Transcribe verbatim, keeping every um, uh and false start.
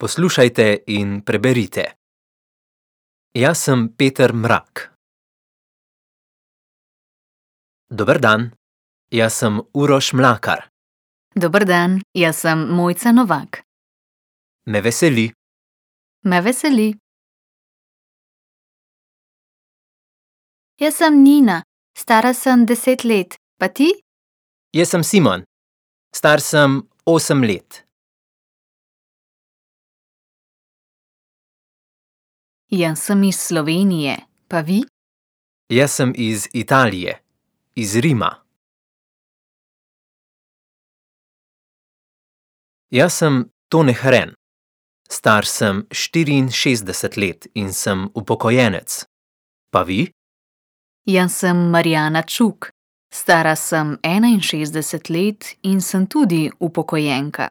Poslušajte in preberite. Jaz sem Peter Mrak. Dober dan, jaz sem Uroš Mlakar. Dober dan, jaz sem Mojca Novak. Me veseli. Me veseli. Jaz sem Nina, stara sem deset let, pa ti? Jaz sem Simon. Star sem osem let. Jaz sem iz Slovenije, pa vi? Jaz sem iz Italije, iz Rima. Jaz sem Tone Hren. Star sem štiriinšestdeset let in sem upokojenec. Pa vi? Jaz sem Marjana Čuk, stara sem enainšestdeset let in sem tudi upokojenka.